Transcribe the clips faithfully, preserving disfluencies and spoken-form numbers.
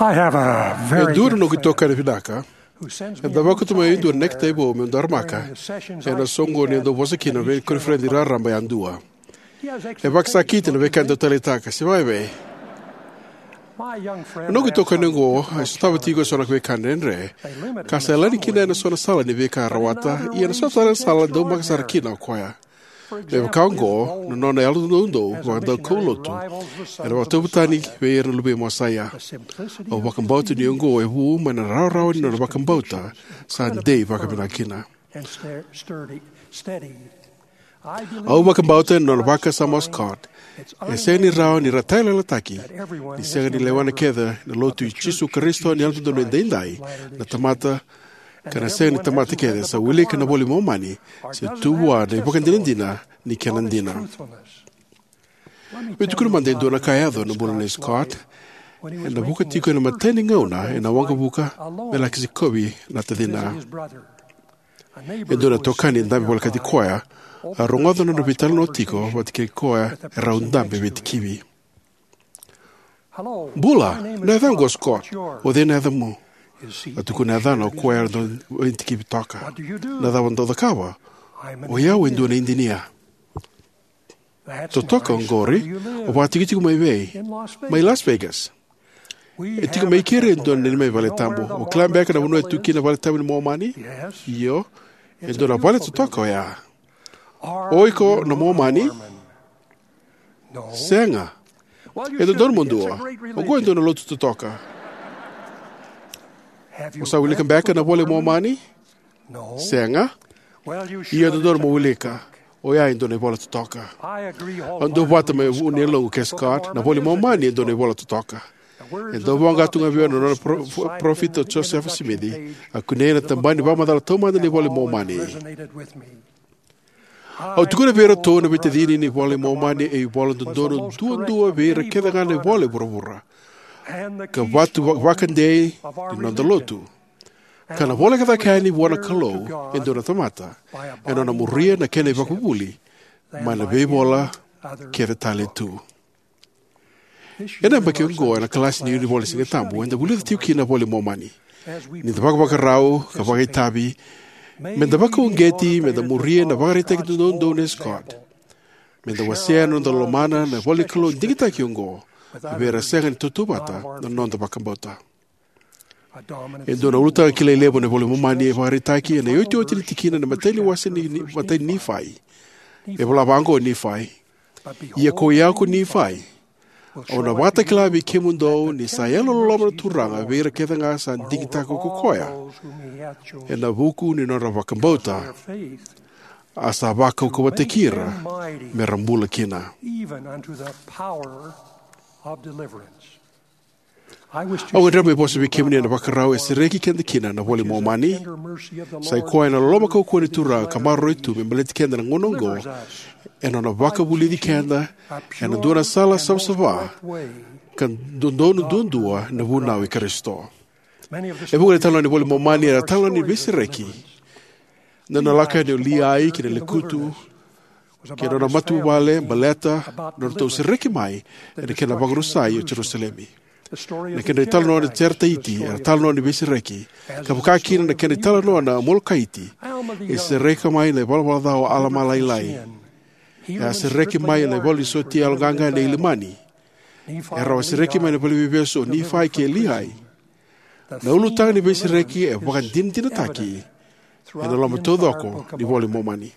I have a E very dua na good noqu friend itokani vinaka who sends me eda a vakuta mai e dua na necktie vou meu daramaka ena soqoni e dau vosa kina na veikoniferedi raraba yadua. E vakasakiti na veika e dau taleitaka, se vakaevei? My young friend Na noqu had itokani some oqo e sotava tiko e so na veika dredre, ka sa yalani kina ena so na sala ni veika e rawata, ia na so tale na sala e daumaka sara kina o koya. Me vaka oqo, na nona yalo doudou vakadaukaulotu ena vakatauvatani vei ira na luvei Mosaia. Au vakabauta ni oqo e vu mai na rawarawa ni nona vakabauta sa dei vakavinaka kina. Au vakabauta ena nona vakasama o Scott, e sega ni rawa ni ra tailailataki ni sega ni lewena kece na Lotu i Jisu Karisito ni Yalododonu Edaidai na tamata, ka na sega ni tamata kece sa wilika na iVola i Momani se tu vua na ivakadinadina ni kena dina. Meu tukuna mada e dua na ka e yaco ena bula nei Scott, ena vuka tiko ena imatai ni gauna ena waqavuka me laki sikovi na tacina. E dua na itokani e dabe volekati koya a rogoca na nona veitalanoa tiko vata kei koya e rau dabe veitikivi. "Bula, na yacaqu o Scott. O cei na yacamu?" A tukuna na yacana o koya e dau veitikivi toka. "Na cava dou cakava?" "O i au e dua na idinia." "Totoka oqori. O vakatikotiko mai vei?" "Mai Las Vegas." "E tiko mai keri e dua na neimami valetabu. O kila beka na vanua e tu kina na valetabu ni Momani?" "Io." "E dua na vale totoka oya." "O iko na Momani?" "Sega." "E dodonu mo dua. Oqo e dua na lotu totoka." "O sa wilika beka na iVola i Momani?" "Sega." "Ia e dodonu mo wilika. Oya e dua na ivola totoka." Au duavata mai vu ni yaloqu kei Scott, na iVola i Momani e dua na ivola totoka. E dau voqa tu ga vei au na nona pro-, pro-, parofita o Josefa Simici, a kunei ena tabana ni vakamacala taumada ni iVola i Momani. Au tukuna vei iratou na veitacini ni iVola i Momani e ivola dodonu duadua vei ira kece ga na ivola e vuravura, ka vatu va-, vakadei ni noda lotu, ka na voleka cake yani vua na Kalou e dua na tamata ena nona muria na kena ivakavuvuli mai na veivola kece tale tu. Ena yabaki oqo, ena kalasi ni Yunivola ni Siga Tabu, eda vulica tiko kina na iVola i Momani. Ni da vakavakarau ka vakaitavi, meda vakauqeti, meda muria na ivakaraitaki doudou nei Scott. Meda wasea na noda lomana na ivola ni Kalou digitaki oqo vei ira sega ni tautauvata na noda vakabauta. E dua na ulutaga kilai levu ena iVola i Momani e vakaraitaki ena iotioti ni tikina ena imatai ni wase ni, ni, imatai ni Nifai. E vola vaqo o Nifai: "Ia ko i au ko Nifai, au na vakatakila vei kemudou ni sa yalololoma na Turaga vei ira kece ga sa digitaka ko koya ena vuku ni nodra vakabauta, a sa vakaukauwataki ira mera bula kina." Au gadreva meu vosa vei kemuni ena ivakarau e sereki keda kina na iVola i Momani. Sa i koya na loloma kaukauwa ni Turaga ka maroroi tu me baleti keda ena gauna oqo, ena nona vakavulici keda ena dua na sala savasava ka dodonu duadua na vunau i Karisito. E vuqa na italanoa ni iVola i Momani era italanoa ni veisereki. Na nona lako yani o Liai ki na lekutu kei na nona matavuvale baleta na nodratou sereki mai ena kena vakarusai o Jerusalemi. Na kedra italanoa na Jeretaiti era italanoa ni veisereki, ka vaka kina na kedra italanoa na Amolekeiti, e sereki mai na ivalavala ca o Alama Lailai. E a sereki mai na ivalu ni sotia yaloqaqa nei Ilamani. E rau a sereki mai na valeniveivesu o Nifai kei Liai. Na ulutaga ni veisereki e vakadinadinataki ena loma taucoko ni iVola i Momani.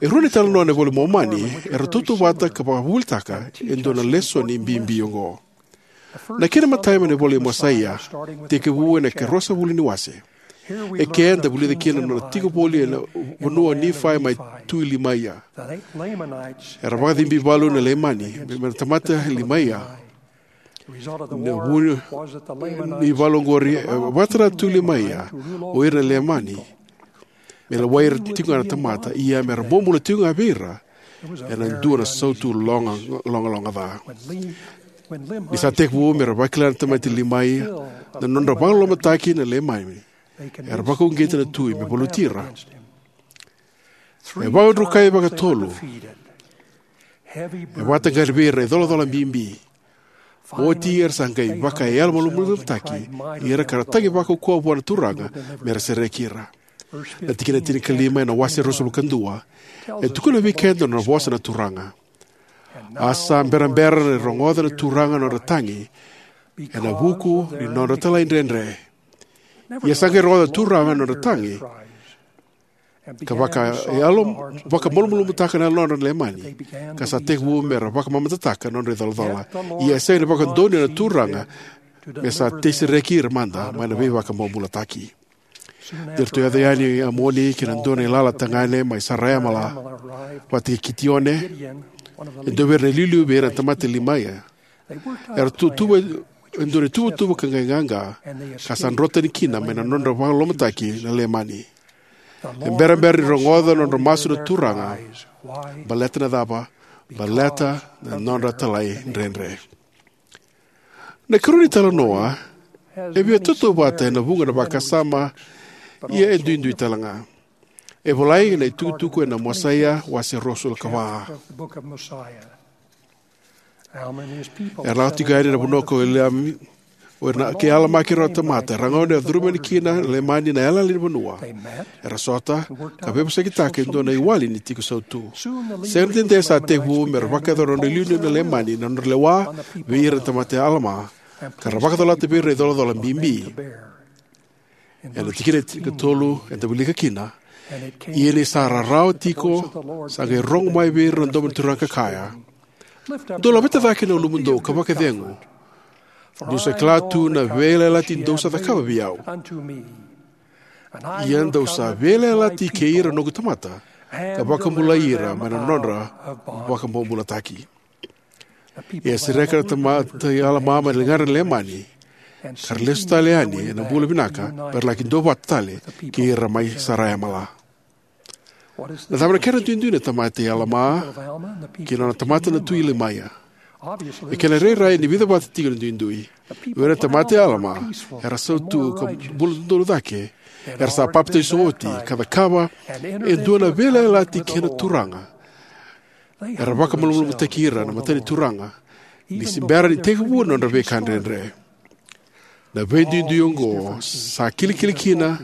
E rua na italanoa ena iVola i Momani era tautauvata ka vakavuvulitaka e dua na lesoni bibi oqo. Na kena imatai mai na ivola i Mosaia, tekivu ena ikaruasagavulu ni wase. Eke eda vulica kina na nona tiko voli ena vanua o Nifai mai tu i Limaia. Era vakacibi valu na Leimani me, me na tamata Limaia. Na vu ni valu oqori, e, vakatara tu Limaia o ira na Leimani me lewai ira tiko ga na tamata, ia mera bobula tiko ga vei ira ena dua na sautu loga, logaloga ca. Ni sa tekivu mera vakila na tamata Limaia na nodra vakalolomataki na Leimani, era vakauqeta na tui me valuti ira. E vakadrukai vakatolu. E vakataqari vei ira na icolacola bibi. Oti era sa qai vakayalomalumalumutaki ira ka ra tagi vakaukauwa vua na Turaga me ra sereki ira. Na tikina tinikalima ena wase ruasagavulu ka dua e tukuna vei keda na nona vosa na Turaga: A sa berabera ni rogoca na Turaga na nodra tagi ena vuku ni nodra talaidredre. Ia sa qai rogoca na Turaga na nodra tagi, ka vakayalo, vakamalumalumutaka na yalodra na Leimani, ka sa tekivu me ra vakamamadataka na nodra icolacola. Ia e sega ni vakadonuya na Turaga me sa tei sereki ira mada mai na veivakabobulataki. Ni ratou yaco yani o Amoni kei na dua na ilala tagane mai Saraemala vata kei Kitione, e dua vei ira na iliuliu vei ira na tamata Limaia. Era tutuva e dua na ituvatuva ka qai qaqa, ka sa drotani kina mai na nodra vakalolomataki na Leimani. E berabera ni rogoca na nodra masu na Turaga. Baleta na cava? Baleta na nodra talaidredre. Na ikarua ni talanoa e via tautauvata ena vuqa na vakasama, ia e duidui tale ga. E volai ena itukutuku ena Mosaia wase ruasagavulu ka va. Era lako tiko yani na vanua ko Eliami, o ira na, kei Alama kei ira na tamata, era gauna era curuma yani kina na Leimani na yalayala ni vanua. Era sota ka veivosakitaka e dua na iwali ni tiko sautu. Sega ni dede sa tekivu me ra vakayacora na nodra iliuliu na Leimani na nodra lewa vei ira na tamata i Alama, ka ra vakacolata vei ira na icolacola bibi. Ena tikina tinikatolu eda wilika kina: Ia ni sa rarawa tiko, sa qai rogo mai vei ira na domo ni Turaga ka kaya: Dou laveta cake na ulumudou ka vakacegu, niu sa kila tu na veiyalayalati dou sa cakava vei au. Ia dou sa veiyalayalati kei ira na noqu tamata, ka vakabulai ira mai na nodra vakabobulataki. Ia e sereka na tamata i Alama mai na ligadra na Leimani, ka ra lesu tale yani ena bula vinaka me ra laki duavata tale kei ira mai Saraemala. Na cava na kena duidui na tamata i Alama kei na nona tamata na tui Limaia? E kena rairai ni vica vata tiko na duidui. O ira na tamata i Alama era sautu ka bula dodonu cake. Era sa papitaiso oti ka cakava e dua na veiyalayalati kei na Turaga. Era vakamalumalumutaki ira na mata ni Turaga ni se bera ni tekivu na nodra veika dredre. Na veiduidui oqo sa kilikili kina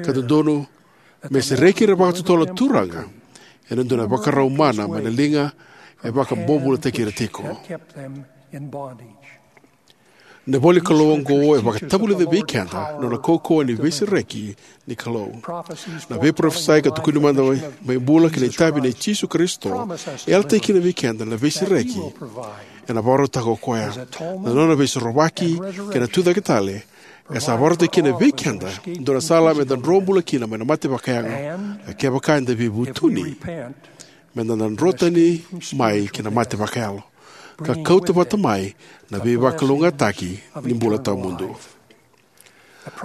ka dodonu me sereki ira vakatotolo na Turaga ena dua na ivakarau mana mai na liga e vakabobulataki ira tiko. Na ivola ni Kalou oqo e vakatavulica vei keda na nona kaukauwa ni veisereki ni Kalou. Na veiparofisai ka tukuni mada mai, mai bula kei na itavi nei Jisu Karisito e yalataki kina vei keda na veisereki ena vakarautaka o koya. Na nona veisorovaki kei na tucake tale e sa vakarautaki kina vei keda e dua na sala meda dro bula kina mai na mate vakayago, ka kevaka eda veivutuni, meda na dro tani mai ki na mate vakayalo ka kauta vata mai na veivakalougatataki ni bula tawamudu.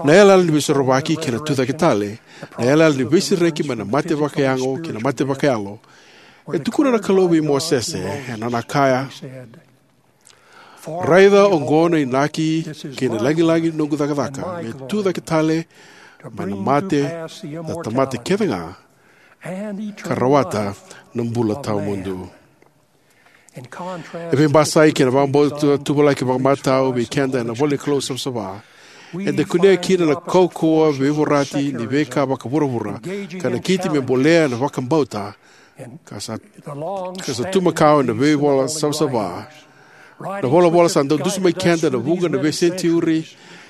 Na yalayala ni veisorovaki kei na tucake tale, na yalayala ni veisereki mai na mate vakayago kei na mate vakayalo, e tukuna na Kalou vei Mosese ena nona kaya: Raica oqo na inaki kei na lagilagi ni noqu cakacaka me tucake tale mai na mate na tamata kece ga, ka rawata na bula tawamudu. E veibasai kei na vakabauta tuvalaki vakamatau vei keda ena ivola ni Kalou savasava, eda kunea kina na kaukauwa veivorati ni veika vakavuravura ka nakiti me bolea na vakabauta ka sa, ka sa tu makawa ena veivola savasava. Na volavola sa dau dusimaki keda ena vuqa na veisenitiuri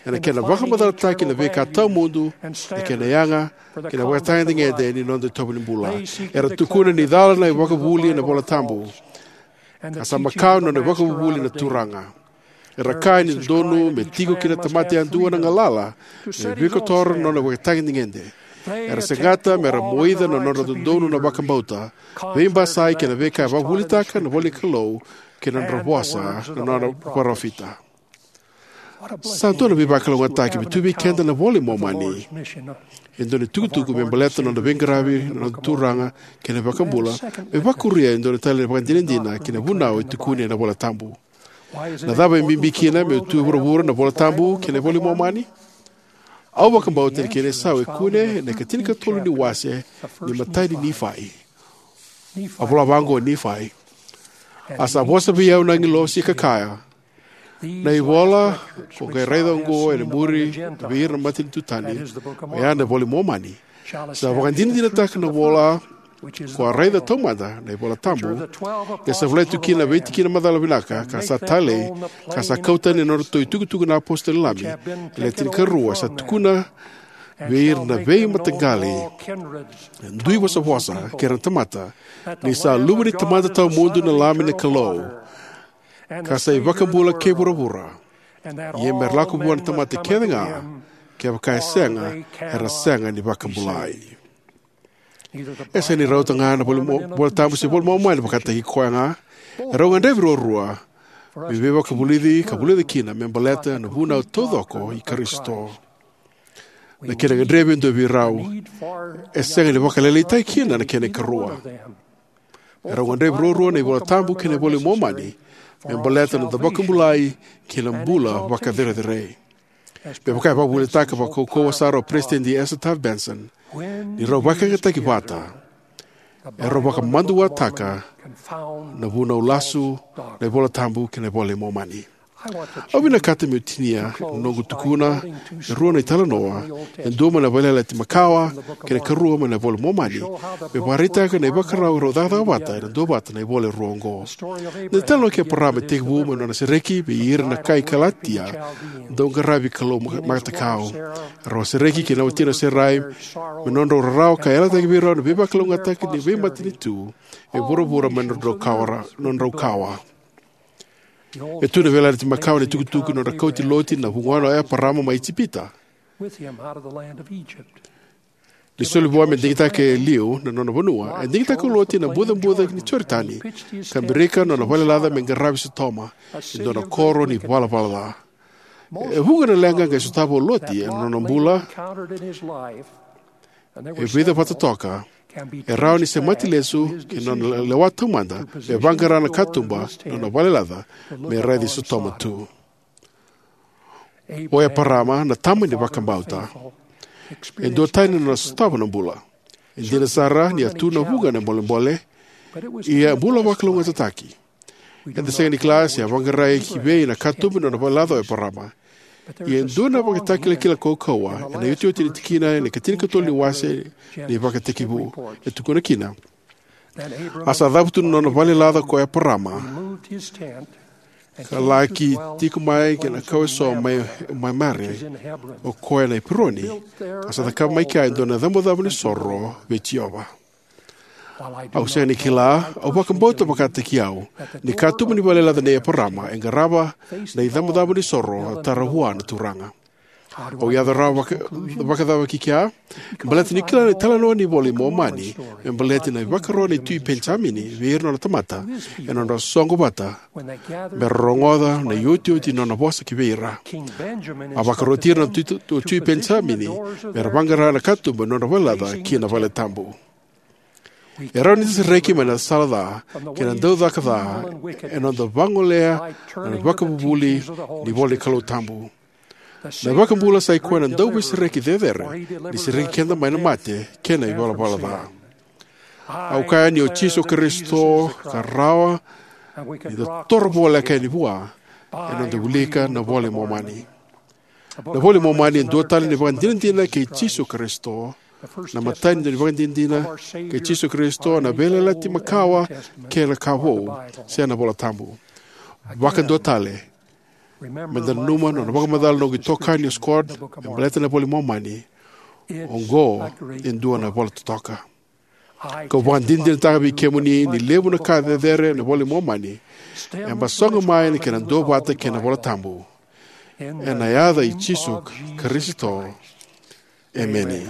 ena kena vakamacalataki na veika tawamudu, na kena yaga kei na vakatagedegede ni noda itovo ni bula. Era tukuna ni cala na ivakavuvuli ena iVola Tabu, ka sa makawa na nona ivakavuvuli na Turaga. Era kaya ni dodonu me tiko kina tamata yadua na galala me vakakotora na nona vakatagedegede. Era segata me ra moica na nodra dodonu na vakabauta, veibasai kei na veika e vakavuvulitaka na ivola ni Kalou kei na nodra vosa na nona parofita. Sa dua na veivakalougatataki me tu vei keda na iVola i Momani, e dua na itukutuku me baleta na nona veiqaravi na noda Turaga kei na iVakabula, me vakuria e dua na tale na ivakadinadina ki na vunau e tukuni ena iVola Tabu. Na cava e bibi kina me tu e vuravura na iVola Tabu kei na iVola i Momani? Au vakabauta ni kena isau e kune ena ikatinikatolu ni wase ni imatai ni Nifai. A vola vaqo o Nifai: A sa vosa vei au na agilosi ka kaya: Na ivola ko qai raica oqo ena muri vei ira na matanitu tani, oya na iVola i Momani, sa vakadinadinataka na ivola ko a raica taumada na iVola Tabu, e sa volai tu kina na veitikina macala vinaka ka sa talei, ka sa kau tani ena nodratou itukutuku na apositolo lami e le tinikarua, sa tukuna vei ira na veimataqali, dui vosavosa kei ira na tamata, ni sa luve ni Tamada tawamudu na Lami na Kalou, ka sa iVakabula kei vuravura. Ia me ra lako vua na tamata kece ga, kevaka e sega, era sega ni vakabulai. E sega ni rauta ga na voli mo-, iVola Tabu se iVola i Momani vakataki koya ga. E rau gadrevi ruarua me veivakavulici ka vulica kina me baleta na vunau taucoko i Karisito. Na kena gadrevi e dua vei rau, e sega ni vakalailaitaki kina na kena ikarua. E rau gadrevi ruarua na iVola Tabu kei na iVola i Momani me baleta na noda vakabulai kei na bula vakacerecerei. Me vaka e vakavuvulitaka vakaukauwa sara o Peresitedi Ezra Taft Benson, ni rau vakayagataki vata, e rau vakamaduataka na vunau lasu, na iVola Tabu kei na iVola i Momani. Au vinakata meu tinia na noqu tukuna e rua na italanoa, e dua mai na Veiyalayalati Makawa kei na karua mai na iVola i Momani, me vakaraitaka na ivakarau e rau cakacaka vata ena duavata na ivola e rua oqo. Na italanoa kei Eparama e tekivu mai na nona sereki vei ira na kai Kalatia, dau qaravi kalou ma-, matakau. Rau a sereki kei na watina o Serai me nodrau rarawa ka yalataki vei rau na veivakalougatataki ni veimatanitu e vuravura mai na nodrau kawa ra-, nodrau kawa. E tu na Veiyalayalati Makawa na itukutuku ni nodra kauti Loti na vugona o Eparama mai Ijipita. Ni soli vua me digitaka e liu na nona vanua, e digitaka ko Loti na bucabuca ni Joritani, ka birika na nona valelaca me qaravi Sotoma, e dua na koro ni valavala ca. E vuqa na leqa qai sotava o Loti ena nona bula, e vica vata toka e rawa ni semati lesu ki na nona lewa taumada me vaqara na katuba na nona valelaca me raici Sotoma tu. O Eparama, na tama ni vakabauta, e duatani na nona sotava na bula. E dina sara ni a tu na vuqa na bolebole, ia a bula vakalougatataki. Eda sega ni kila se a vaqarai ki vei na katuba ni nona valelaca o Eparama. Ia e dua na ivakatakilakila kaukauwa ena iotioti ni tikina ena ikatinikatolu ni wase ni Vakatekivu. E tukuna kina: A sa cavutu na nona valelaca ko Eparama, ka laki tiko mai kei na kawa eso mai, mai Mamare, o koya na Ipironi, ka sa cakava mai kea e dua na icabocabo ni soro vei Jiova. Au sega ni kila, au vakabauta vakataki au ni katuba ni valelaca nei Eparama e qarava na icabocabo ni soro a tara vua na Turaga. Au yaco rawa vaka-, vakacava ki kea? Baleta ni kila na italanoa ni iVola i Momani me baleta na ivakaro nei Tui Penijamini vei ira na nona tamata ena nodra soqo vata me ra rogoca na iotioti ni nona vosa ki vei ira. A vakaroti ira na Tui, Tui, Tui Penijamini me ra vaqara na katuba ni nodra valelaca ki na vale tabu. E rawa ni da sereki mai na sala ca kei na daucaka ca ena noda vagolea na ivakavuvuli ni ivola ni Kalou tabu. Na iVakabula sa i koya na Dauveisereki cecere ni sereki keda mai na mate kei na ivalavala ca. Au kaya ni o Jisu Karisito ka rawa ni da toro voleka yani vua ena noda wilika na iVola i Momani. Na iVola i Momani e dua tale na ivakadinadina kei Jisu Karisito. Na imatai ni ivakadinadina kei Jisu Karisito na Veiyalayalati Makawa kei na Ka Vou, se na iVola Tabu. Vakadua tale, meda nanuma na nona vakamacala na noqu itokani o Scott me baleta na iVola i Momani: Oqo e dua na ivola totoka. Kau vakadinadinataka vei kemuni ni levu na ka cecere ena iVola i Momani e basoga mai na kena duavata kei na iVola Tabu. Ena yaca i Jisu Karisito, emeni.